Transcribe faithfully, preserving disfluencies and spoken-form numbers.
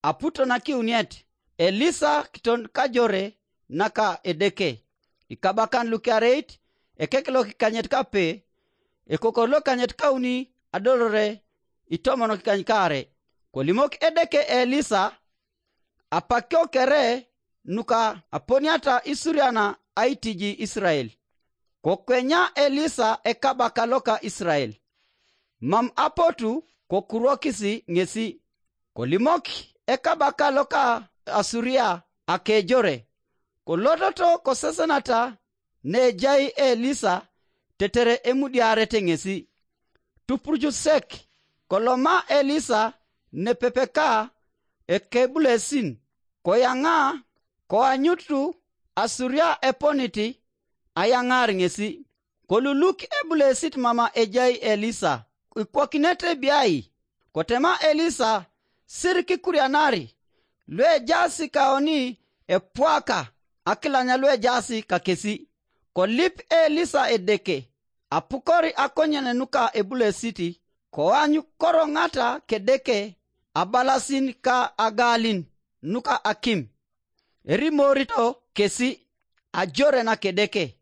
Aputo na kiuniet, Elisa kiton kajore naka Edeke. Ikabakan lukiareit, ekek lokikanyet kape, ekokor lokikanyet kauni adolore itomon kikany kare. Kolimok Edeke Elisa, apakio kere nuka aponiata isuriana aitiji Israel. Kokwenya Elisa ekabaka loka Israel, mam apotu kokurokisi ŋesi. Kolimok ekabaka loka Asuria akejore, kolototo kosesenata nejai Elisa, tetere emudiarete ŋesi. Tupurucusek, koloma Elisa nepepeka ekebulesin, koyaŋa, koanyutu Asuria eponiti ayaŋar ŋesi. Koluluk ebulesit mama ejai Elisa, ikwokinete biai. Kotema Elisa, sir kikurianari luejaas kaoni epwaka akilanya luejaas kakesi. Kolip Elisa Edeke, apukor akonyen nuka ebulesit, koany koroŋata kedeke abalasin ka agalin nuka akim. Erimorito kesi ajore nakedeke.